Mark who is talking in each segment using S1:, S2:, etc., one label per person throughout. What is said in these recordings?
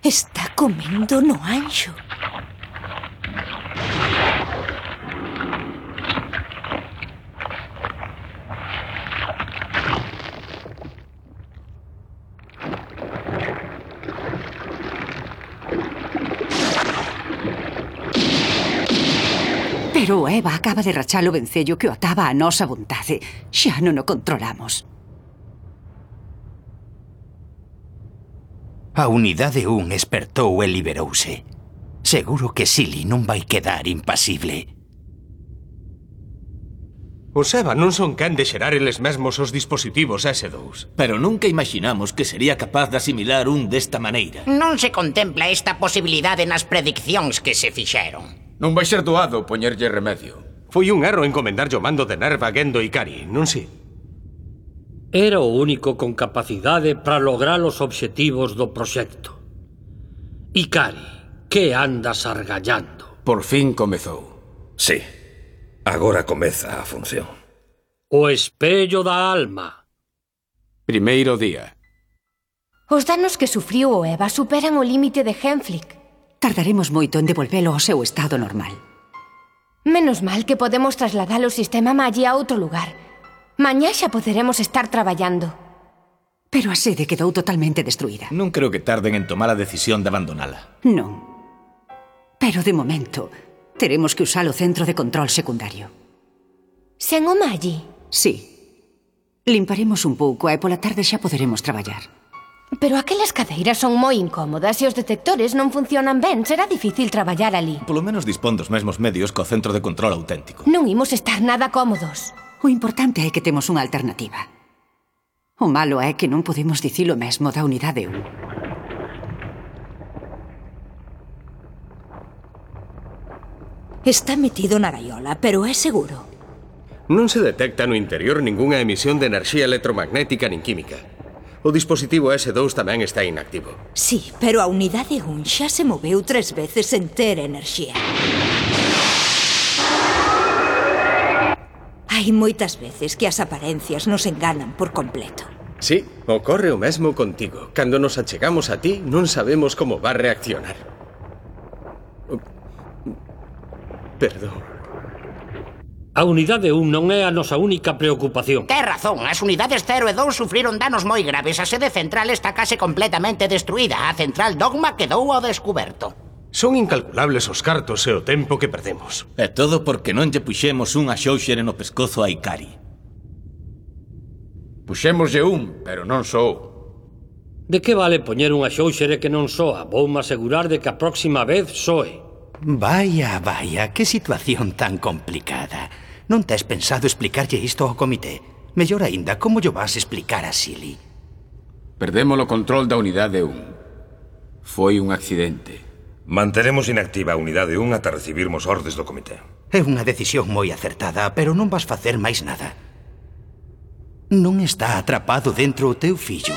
S1: Está comendo no anxo.
S2: Pero Eva acaba de rachar o vencello que o ataba a nosa vontade. Xa non o controlamos.
S3: A unidade 1 espertou e liberouse. Seguro que Silly non vai quedar impasible.
S4: Os EVA non son quen de xerar eles mesmos os dispositivos S2.
S5: Pero nunca imaginamos que sería capaz de asimilar un desta maneira.
S6: Non se contempla esta posibilidade nas prediccións que se fixeron.
S7: Non vai ser doado poñerlle remedio.
S4: Foi un erro encomendarlle o mando de Nerva a Gendo Ikari, non si?
S8: Era o único con capacidade para lograr os obxectivos do proxecto. Ikari, que andas argallando?
S7: Por fin comezou.
S9: Sí, agora comeza a función.
S8: O espello da alma.
S7: Primeiro día.
S1: Os danos que sufriu o Eva superan o límite de Genflick.
S2: Tardaremos moito en devolvelo ao seu estado normal.
S1: Menos mal que podemos trasladar o sistema Magi a outro lugar. Mañá xa poderemos estar traballando.
S2: Pero a sede quedou totalmente destruída.
S5: Non creo que tarden en tomar a decisión de abandonala.
S2: Non. Pero de momento, teremos que usar o centro de control secundario.
S1: Sen o Magi?
S2: Sí. Limparemos un pouco e pola tarde xa poderemos traballar.
S1: Pero aquelas cadeiras son moi incómodas e os detectores non funcionan ben. Será difícil traballar ali.
S5: Polo menos dispón dos mesmos medios co centro de control auténtico.
S1: Non imos estar nada cómodos.
S2: O importante é que temos unha alternativa. O malo é que non podemos dicir o mesmo da unidade
S1: 1. Está metido na gaiola, pero é seguro.
S4: Non se detecta no interior ningunha emisión de enerxía electromagnética nin química. O dispositivo S2 tamén está inactivo.
S10: Sí, pero a unidade 1 xa se moveu 3 veces sen ter enerxía. Hai moitas veces que as aparencias nos enganan por completo.
S4: Sí, ocorre o mesmo contigo. Cando nos achegamos a ti, non sabemos como va a reaccionar. Perdón.
S8: A unidade 1 non é a nosa única preocupación.
S6: Ten razón, as unidades 0 e 2 sufriron danos moi graves. A sede central está case completamente destruída. A central Dogma quedou ao descuberto.
S4: Son incalculables os cartos e o tempo que perdemos.
S5: É todo porque non lle puxemos unha xóuxere no pescozo a Ikari.
S7: Puxémoslle un, pero non sou.
S8: De que vale poñer unha xóuxere que non soa? Voume asegurar de que a próxima vez soe.
S3: Vaya, que situación tan complicada. Non tes pensado explicarlle isto ao comité? Mellor aínda, como llo vas explicar a Silly?
S7: Perdemos o control da unidade 1. Foi un accidente.
S9: Manteremos inactiva a unidade 1 ata recibirmos ordes do comité.
S3: É unha decisión moi acertada, pero non vas facer máis nada. Non está atrapado dentro o teu fillo.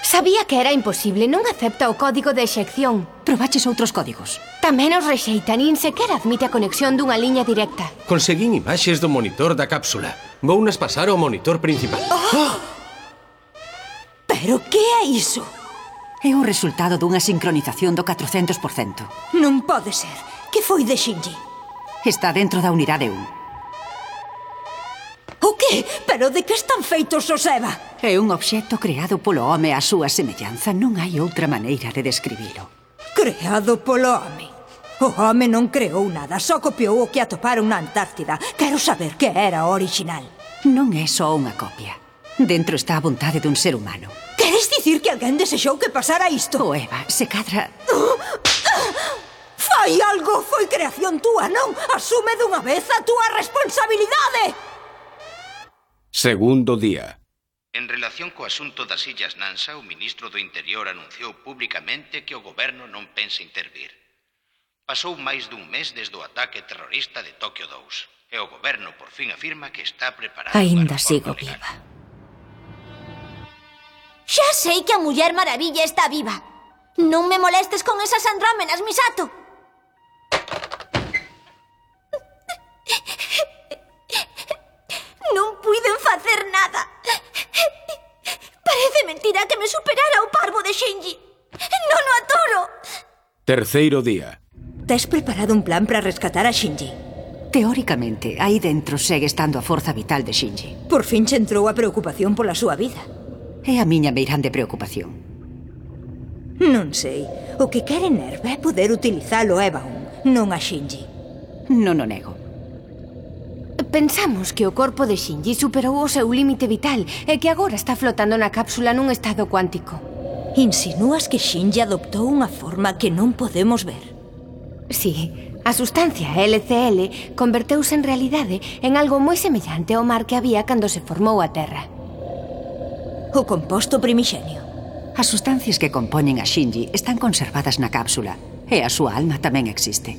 S1: Sabía que era imposible, non acepta o código de exección.
S2: Probaches outros códigos.
S1: Tamén os rexeita, nin sequera admite a conexión dunha liña directa.
S4: Conseguín imaxes do monitor da cápsula. Vounas pasar ao monitor principal.
S10: Pero que é iso?
S2: É o resultado dunha sincronización do 400%.
S10: Non pode ser. Que foi de Shinji?
S2: Está dentro da unidade 1.
S10: O que? Pero de que están feitos os EVA?
S2: É un obxecto creado polo home á súa semellanza. Non hai outra maneira de describilo.
S10: Creado polo home? O home non creou nada, só copiou o que atoparon na Antártida. Quero saber que era o original.
S2: Non é só unha copia. Dentro está a vontade dun ser humano.
S10: Queres dicir que alguén desexou que pasara isto?
S2: O Eva, se cadra...
S10: Fai algo! Foi creación túa, non? Asume dunha vez a túa responsabilidade!
S7: Segundo día.
S3: En relación co asunto das Illas Nansa, o ministro do Interior anunciou públicamente que o goberno non pensa intervir. Pasou máis dun mes desde o ataque terrorista de Tokio 2 e o goberno por fin afirma que está preparado.
S1: Aínda sigo viva.
S11: Xa sei que a Muller Maravilla está viva. Non me molestes con esas andrómenas, Misato. Non puiden facer nada. Parece mentira que me superara o pai.
S7: Terceiro día.
S10: Tes preparado un plan para rescatar a Shinji?
S2: Teóricamente, aí dentro segue estando a forza vital de Shinji.
S10: Por fin che entrou a preocupación pola súa vida.
S2: É a miña meirande preocupación.
S10: Non sei. O que quere Nerva é poder utilizalo a Ebaun, non a Shinji.
S2: Non o nego.
S1: Pensamos que o corpo de Shinji superou o seu límite vital e que agora está flotando na cápsula nun estado cuántico.
S10: Insinúas que Shinji adoptou unha forma que non podemos ver?
S1: Sí, a sustancia LCL converteuse en realidade en algo moi semellante ao mar que había cando se formou a Terra.
S10: O composto primixenio.
S2: As sustancias que compoñen a Shinji están conservadas na cápsula e a súa alma tamén existe.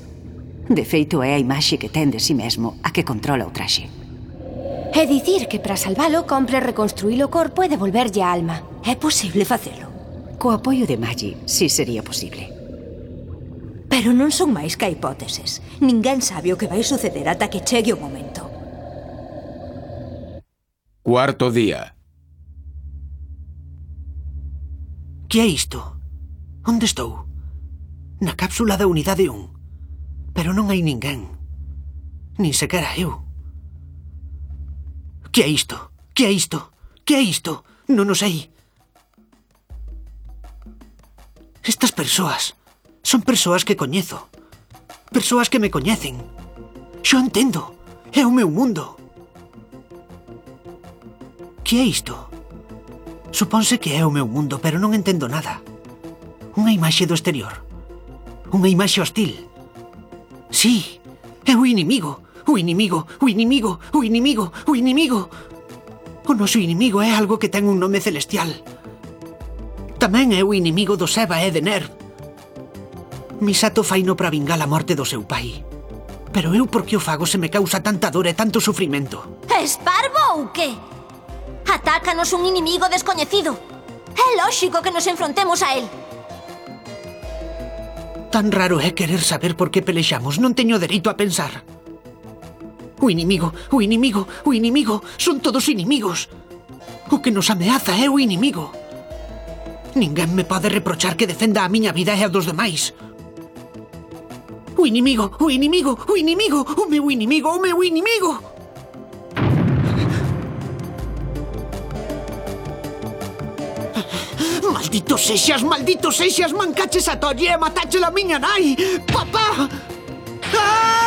S2: De feito, é a imaxe que ten de si mesmo a que controla o traxe.
S1: É dicir que para salvalo compre reconstruir o corpo e devolverlle a alma.
S10: É posible facelo?
S2: Co apoio de Magi, si sería posible.
S10: Pero non son máis que hipóteses. Ninguén sabe o que vai suceder ata que chegue o momento.
S7: Cuarto día.
S12: Que é isto? Onde estou? Na cápsula da unidade 1. Pero non hai ninguén. Nin sequera eu. Que é isto? Que é isto? Que é isto? Non o sei. Estas persoas son persoas que coñezo. Persoas que me coñecen. Xo entendo. É o meu mundo. Que é isto? Suponse que é o meu mundo, pero non entendo nada. Unha imaxe do exterior. Unha imaxe hostil. Sí, é o inimigo. O inimigo, o inimigo, o inimigo, o inimigo. O noso inimigo é algo que ten un nome celestial. Tamén é o inimigo do Seba e de Nerv. Misato faino para vingar a morte do seu pai. Pero eu por que o fago se me causa tanta dor e tanto sufrimento?
S11: Es parvo ou que? Atácanos un inimigo descoñecido. É lóxico que nos enfrontemos a él.
S12: Tan raro é querer saber por que pelexamos. Non teño dereito a pensar. O inimigo, o inimigo, o inimigo. Son todos inimigos. O que nos ameaza é o inimigo. Ninguén me pode reprochar que defenda a miña vida e a dos demais. O inimigo, o inimigo, o inimigo. O meu inimigo, o meu inimigo. Maldito sexas, mancaches a Tolle e matache a miña nai! Papá! ¡Ah!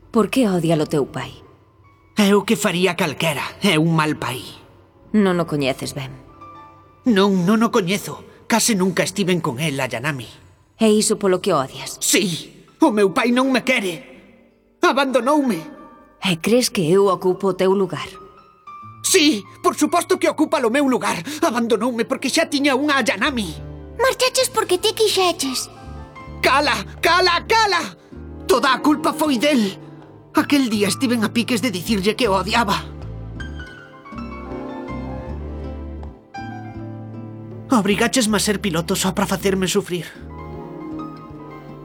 S1: Por que odia o teu pai?
S12: É o que faría calquera. É un mal pai.
S1: Non o coñeces ben.
S12: Non o coñezo. Case nunca estiven con el, a Yanami.
S1: É iso polo que odias?
S12: Sí! O meu pai non me quere. Abandonoume.
S1: E crees que eu ocupo o teu lugar?
S12: Sí, por suposto que ocupa o meu lugar. Abandonoume porque xa tiña unha Yanami.
S11: Marchaches porque ti quixeches.
S12: Cala, cala, cala! Toda a culpa foi del. Aquel día estiven a piques de dicirlle que o odiaba. Obrigáchesme a ser piloto só para facerme sufrir.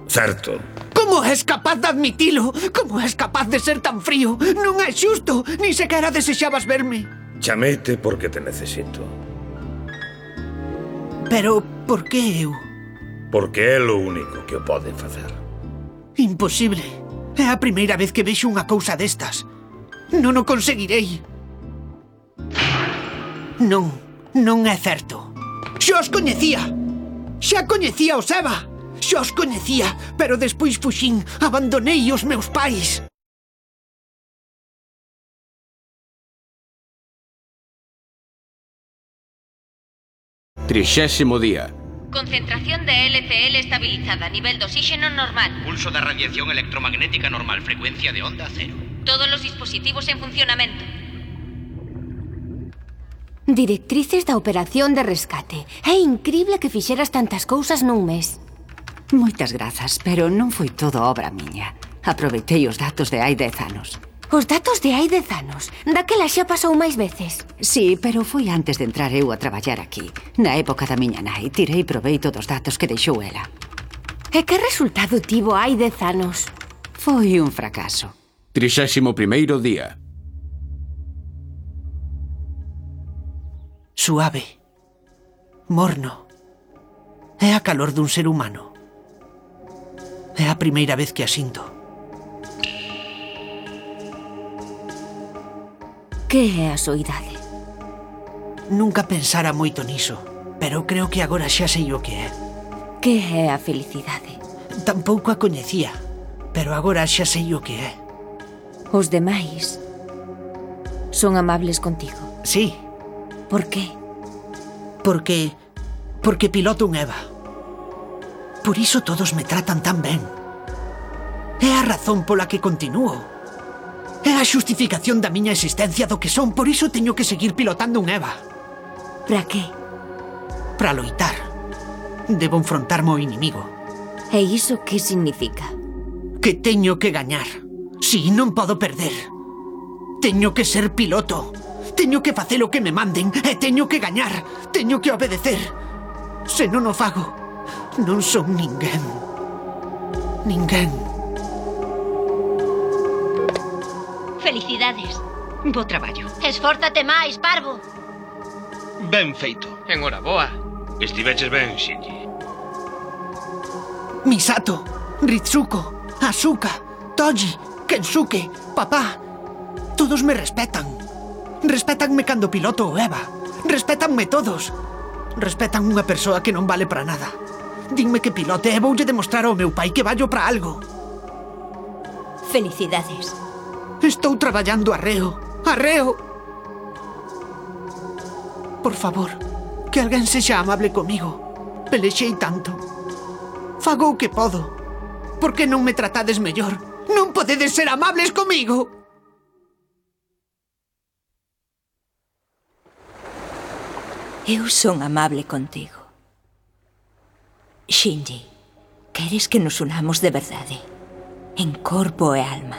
S9: Certo.
S12: Como és capaz de admitilo? Como és capaz de ser tan frío? Non é xusto, ni sequera desexabas verme.
S9: Chamete porque te necesito.
S12: Pero, por que eu?
S9: Porque é lo único que o pode facer.
S12: Imposible. É a primeira vez que vexo unha cousa destas. Non o conseguirei. Non é certo. Xa os coñecía. Xa coñecía o Seba. Xa os coñecía, pero despois fuxín, abandonei os meus pais.
S7: Trixésimo día.
S13: Concentración de LCL estabilizada, nivel de oxígeno normal.
S3: Pulso de radiación electromagnética normal, frecuencia de onda 0.
S13: Todos los dispositivos en funcionamento.
S1: Directrices da operación de rescate. É incrible que fixeras tantas cousas nun mes.
S2: Moitas grazas, pero non foi todo obra miña. Aproveitei os datos de hai 10 anos.
S1: Os datos de hai 10 anos? Daquela xa pasou máis veces.
S2: Sí, pero foi antes de entrar eu a traballar aquí. Na época da miña nai, tirei proveito dos datos que deixou ela.
S1: E que resultado tivo hai 10 anos?
S2: Foi un fracaso.
S7: 31º día.
S12: suave, morno. É a calor dun ser humano. É a primeira vez que a sinto.
S1: Que é a soidade?
S12: Nunca pensara moito niso, pero creo que agora xa sei o que é.
S1: Que é a felicidade?
S12: Tampouco a coñecía, pero agora xa sei o que é.
S1: Os demais son amables contigo?
S12: Sí.
S1: Por qué?
S12: Porque piloto un EVA. Por iso todos me tratan tan ben. É a razón pola que continúo. É a xustificación da miña existencia do que son, por iso teño que seguir pilotando un EVA.
S1: Para qué?
S12: Para loitar. Debo enfrontarme ao inimigo.
S1: E iso que significa?
S12: Que teño que gañar. Si, non podo perder. Teño que ser piloto. Teño que facer o que me manden e teño que gañar. Teño que obedecer. Se non o fago, non son ninguén. Ninguén.
S13: Felicidades.
S14: Bo traballo.
S11: Esfórzate máis, parvo.
S15: Ben feito.
S16: Enhoraboa.
S9: Estiveches ben, Shinji.
S12: Misato, Ritsuko, Asuka, Toji, Kensuke, papá. Todos me respetan. Respétanme cando piloto o EVA. Respétanme todos. Respetan unha persoa que non vale para nada. Dinme que pilote e voulle demostrar ao meu pai que vallo para algo.
S1: Felicidades.
S12: Estou traballando arreo. Arreo. Por favor, que alguén sexa amable comigo. Pelexei tanto. Fago o que podo. Por que non me tratades mellor? Non podedes ser amables comigo.
S10: Eu son amable contigo. Shinji, queres que nos unamos de verdade, en corpo e alma.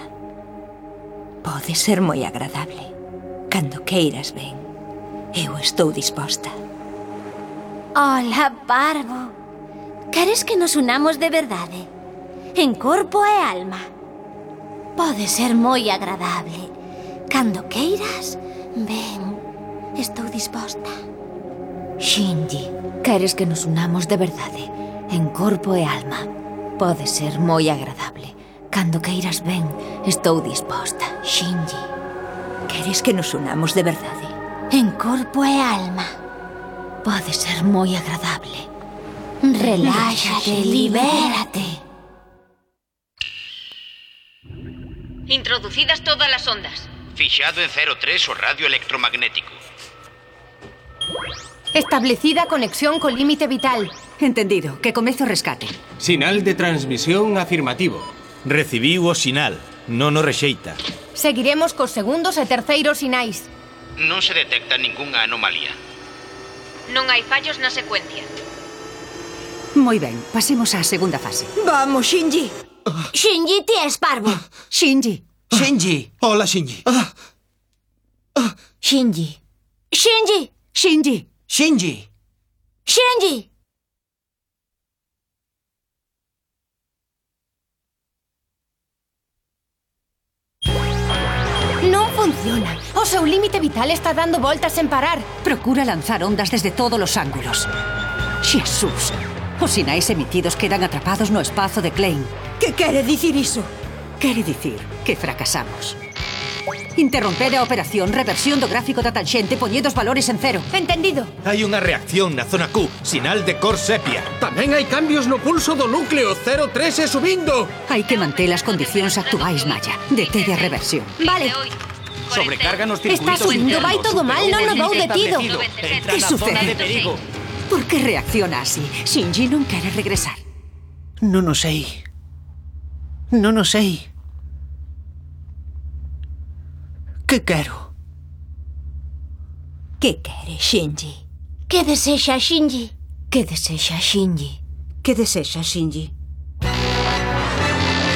S10: Pode ser moi agradable. Cando queiras ben, eu estou disposta.
S11: Hola, parvo. Queres que nos unamos de verdade, en corpo e alma? Pode ser moi agradable. Cando queiras, ben, estou disposta.
S1: Shinji, queres que nos unamos de verdade, en corpo e alma? Pode ser moi agradable. Cando queiras ben, estou disposta. Shinji,
S10: queres que nos unamos de verdade,
S11: en corpo e alma?
S1: Pode ser moi agradable.
S11: Reláxate, libérate.
S13: Introducidas todas as ondas.
S3: Fixado en 03 o radio electromagnético.
S1: Establecida conexión co límite vital.
S2: Entendido. Que comece o rescate.
S4: Sinal de transmisión afirmativo.
S5: Recibiu o sinal. Non o rexeita.
S1: Seguiremos cos segundos e terceiros sinais.
S3: Non se detecta ningunha anomalía.
S13: Non hai fallos na secuencia.
S2: Moi ben, pasemos á segunda fase.
S10: Vamos, Shinji.
S11: Shinji, ti és parvo.
S2: Shinji.
S12: Shinji.
S15: Hola, Shinji.
S11: Shinji. Shinji.
S2: Shinji.
S12: Shinji.
S11: Shinji.
S1: Non funciona. O seu límite vital está dando voltas sen parar.
S2: Procura lanzar ondas desde todos os ángulos. Xesús. Os sinais emitidos quedan atrapados no espazo de Klein.
S10: Que quere dicir iso?
S2: Quere dicir que fracasamos. Interromper a operación, reversión do gráfico da tanxente, poñede os valores en cero.
S1: Entendido.
S5: Hai unha reacción na zona Q, sinal de cor sepia.
S4: Tamén hai cambios no pulso do núcleo, 03 e subindo.
S2: Hai que manter as condicións actuais, Maya. Deteve a reversión.
S1: Vale.
S5: Sobrecarga nos circuitos
S1: Está subindo, vai
S5: internos.
S1: todo mal, non nos vou detido.
S2: Que sucede? Por que reacciona así? Shinji non quere regresar.
S12: Non o sei. Non o sei. Que quero?
S10: Que quere, Shinji?
S11: Que desexa, Shinji?
S1: Que desexa, Shinji?
S10: Que desexa, Shinji?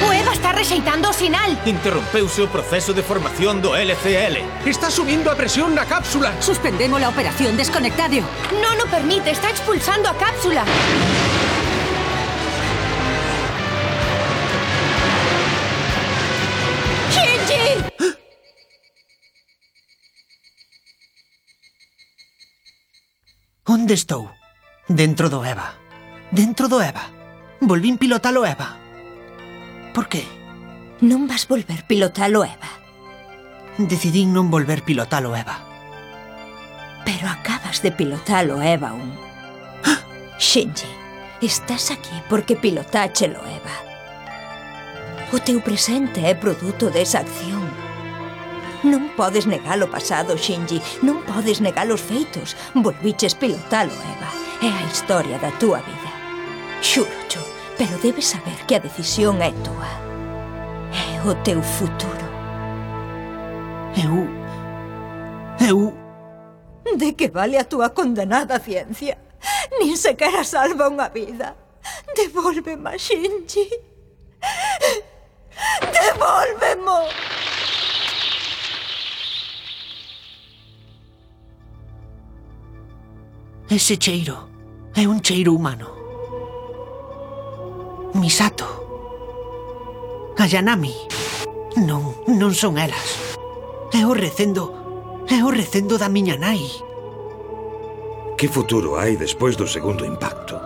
S1: O EVA está rexeitando o sinal.
S5: Interrompeuse o proceso de formación do LCL.
S4: Está subindo a presión na cápsula.
S2: Suspendemos la operación, desconectadio.
S1: Non o permite, está expulsando a cápsula.
S12: Onde estou? Dentro do EVA. Dentro do EVA. Volvín pilotalo EVA. Por qué?
S10: Non vas volver pilotalo EVA.
S12: Decidín non volver pilotalo EVA.
S10: Pero acabas de pilotalo EVA un. Shinji, estás aquí porque pilotáchelo EVA. O teu presente é produto desa acción. Non podes negar o pasado, Shinji. Non podes negar os feitos. Volviches pilotalo EVA. É a historia da túa vida. Xúrocho, pero debes saber que a decisión é túa. É o teu futuro.
S12: Eu...
S10: De que vale a túa condenada ciencia? Nin sequera salva unha vida. Devólveme, Shinji. Devólvemo.
S12: Ese cheiro é un cheiro humano. Misato. Ayanami. Non son elas. É o recendo da miña nai.
S9: Que futuro hai despois do segundo impacto?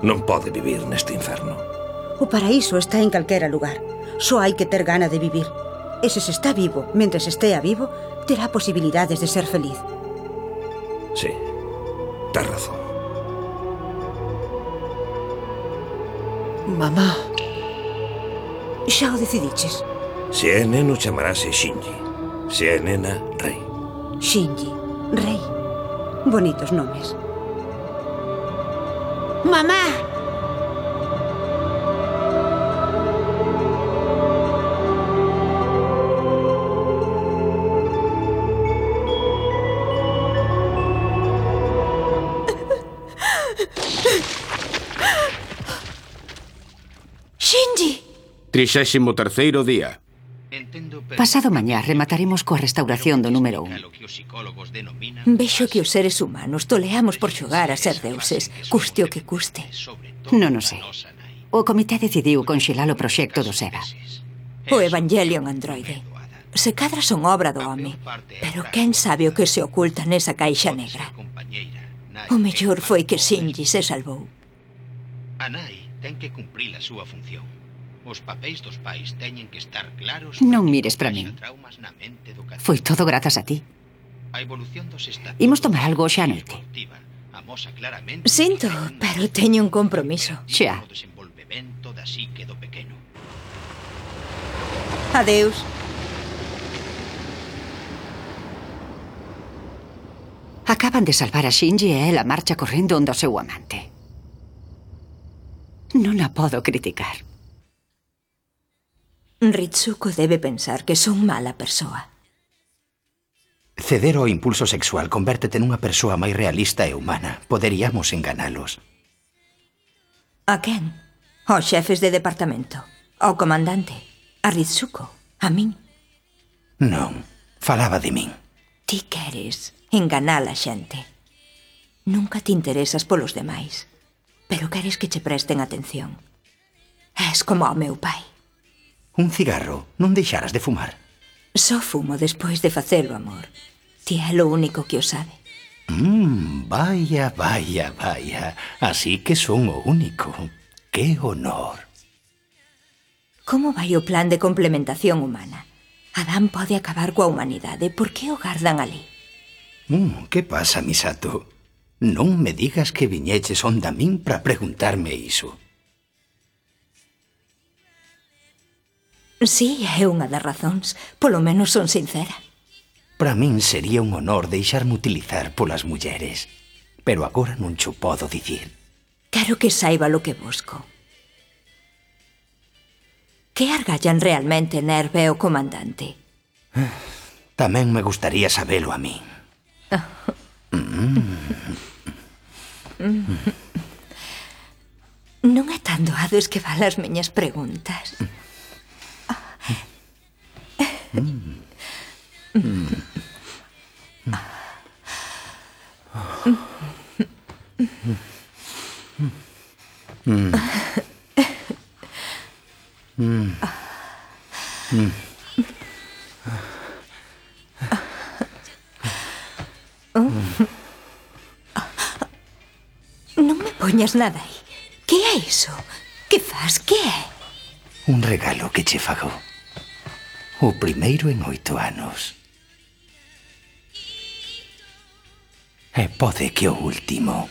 S9: Non pode vivir neste inferno.
S14: O paraíso está en calquera lugar. Só hai que ter gana de vivir. E se está vivo, mentres estea vivo, terá posibilidades de ser feliz.
S9: Sí, tes razón.
S12: Mamá.
S14: Xa o decidiches.
S9: Se é neno, chamarase Shinji. Se é nena, Rei.
S14: Shinji, Rei. Bonitos nomes.
S11: Mamá!
S10: Shinji!
S7: 33º día.
S2: Pasado mañá remataremos coa restauración do número 1.
S10: Vexo que os seres humanos toleamos por xogar a ser deuses, custe o que custe.
S2: Non o sei. O comité decidiu conxelar o proxecto do SEBA.
S10: O Evangelion androide. Se cadra son obra do home, pero quen sabe o que se oculta nesa caixa negra? O mellor foi que Shinji se salvou.
S3: A nai ten que cumprir a súa función. Os papéis dos pais teñen que estar claros.
S2: Non mires para min. Foi todo grazas a ti. Imos tomar algo xa a noite.
S10: Sinto, pero teño un compromiso.
S2: Xa.
S14: Adeus.
S2: Acaban de salvar a Shinji e ela marcha correndo onde o seu amante. Non a podo criticar.
S10: Ritsuko debe pensar que son mala persoa.
S16: Ceder ao impulso sexual convértete nunha persoa máis realista e humana. Poderíamos enganalos.
S10: A quen? Aos xefes de departamento? Ao comandante? A Ritsuko? A min?
S16: Non, falaba de min.
S10: Ti queres enganar a xente. Nunca te interesas polos demais, pero queres que che presten atención. És como o meu pai.
S16: Un cigarro, non deixaras de fumar.
S10: Só fumo despois de facelo, amor. Ti é lo único que o sabe.
S16: Vaya. Así que son o único. Que honor.
S10: Como vai o plan de complementación humana? Adán pode acabar coa humanidade. Por que o gardan ali?
S16: Que pasa, Misato? Non me digas que viñeches onda min para preguntarme iso.
S10: Sí, é unha das razóns. Polo menos son sincera.
S16: Para min sería un honor deixarme utilizar polas mulleres. Pero agora non cho podo dicir.
S10: Quero que saiba lo que busco. Que argallan realmente Nerve e o comandante?
S16: Tamén me gustaría sabelo a min.
S10: Non é tan doado esquivar as miñas preguntas. me poñas nada aí. Que é iso? Que faz? Que é?
S16: Un regalo que che fago. O primeiro en 8 anos. E pode que o último.